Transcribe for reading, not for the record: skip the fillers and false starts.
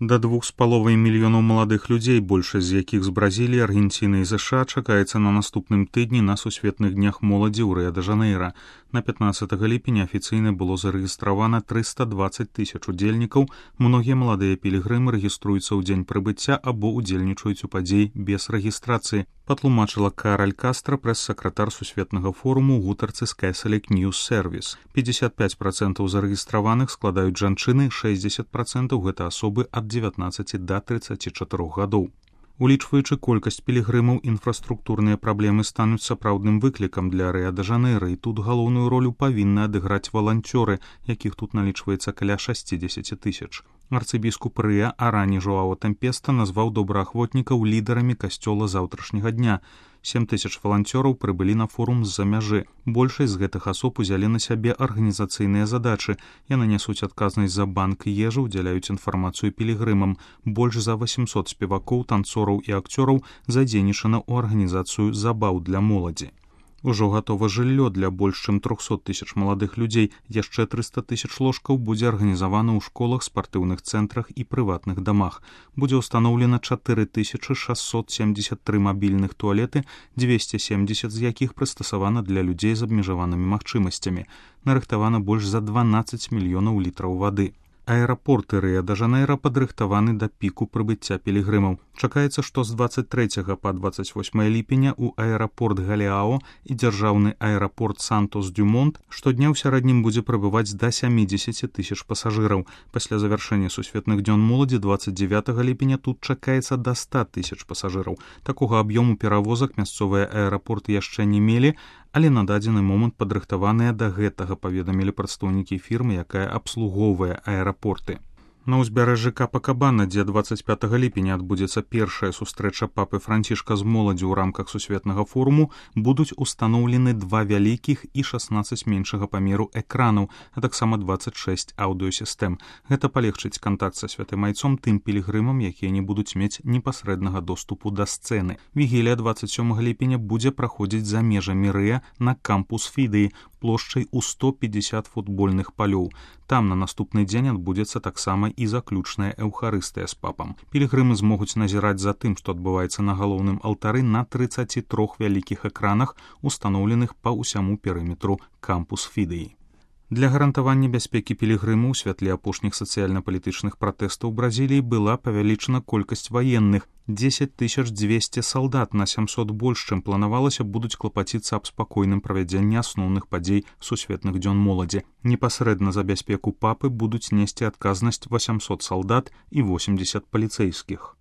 Да 2,5 мільёнаў маладых людзей, большасць з якіх з Бразіліі, Аргенціны і ЗША, чакаецца на наступным тыдні на сусветных днях моладзі ў Рыа-дэ-Жанэйра. На 15 ліпеня афіцыйна было зарэгістравана 320 тысяч удзельнікаў. Многія маладыя пілігрымы рэгіструюцца ў дзень прыбыцця або ўдзельнічаюць у падзеі без рэгістрацыі, патлумачыла Кароль Кастра, прэс-сакратар сусветнага форуму ў гутарцы з Catholic News Service. 55% зарэгістраваных складаюць жанчыны, 60% гэта асобы ад 19 да 34 гадоў. Улічваючы колькасць пілігрымаў, інфраструктурныя праблемы стануць сапраўдным выклікам для Рыа-дэ-Жанэйра, і тут галоўную ролю павінны адыграць валанцёры, якіх тут налічваецца каля 60 тысяч. Арцыбіскуп Рыа Арані Жоао Тэмпеста назваў добраахвотнікаў лідарамі касцёла заўтрашняга дня. 7 тысяч валанцёраў прыбылі на форум з-за мяжы. Большасць з гэтых асоб узялі на сябе арганізацыйныя задачы. Яны нясуць адказнасць за банк ежы, удзяляюць інфармацыю пілігрымам. Больш за 800 спевакоў, танцораў і акцёраў задзейнічана ў арганізацыю забаў для моладзі. Ужо гатова жыллё для больш чым 300 тысяч маладых людзей. Яшчэ 300 тысяч ложкаў будзе арганізавана ў школах, спартыўных цэнтрах і прыватных дамах. Будзе ўстаноўлена 4673 мабільных туалеты, 270 з якіх прыстасавана для людзей з абмежаванымі магчымасцямі. Нарыхтавана больш за 12 мільёнаў літраў вады. Аэрапорты Рыа-дэ-Жанэйра падрыхтаваны да піку прыбыцця пілігрымаў. Чакаецца, што з 23 па 28 ліпеня ў аэрапорт Галеао і дзяржаўны аэрапорт Сантос-Дюмонт штодня ў сярэднім будзе прыбываць да 70 тысяч пасажыраў. Пасля завяршэння сусветных дзён моладзі 29 ліпеня тут чакаецца да 100 тысяч пасажыраў. Такога аб'ёму перавозак мясцовыя аэрапорты яшчэ не мелі, але на дадзены момант падрыхтаваныя да гэтага, паведамілі прадстаўнікі фірмы, якая абслугоўвае аэрапорты. На ўзбярэжжы Капакабана, дзе 25 ліпеня адбудзецца першая сустрэча папы Францішка з моладдзю ў рамках сусветнага форуму, будуць устаноўлены 2 вялікіх і 16 меншага памеру экранаў, а таксама 26 аўдыёсістэм. Гэта палегчыць кантакт са святым айцом тым пілігрымам, якія не будуць мець непасрэднага доступу да сцэны. Вігілія 27 ліпеня будзе праходзіць за межамі Рыа на кампус Фідыі, плошчай у 150 футбольных палёў. Там на наступны дзень адбудзецца таксама і заключная эўхарыстыя з папам. Пілігрымы змогуць назіраць за тым, што адбываецца на галоўным алтары на 33 вялікіх экранах, устаноўленых па ўсяму перыметру кампус Фідыі. Для гарантавання бяспекі пілігрыму ў святле апошніх сацыяльна-палітычных пратэстаў Бразіліі была павялічана колькасць ваенных. 10 200 салдат на 700 больш, чым планавалася, будуць клапаціцца аб спакойным правядзенні асноўных падзей сусветных дзён моладзі. Непасрэдна за бяспеку папы будуць несці адказнасць 800 салдат і 80 паліцэйскіх.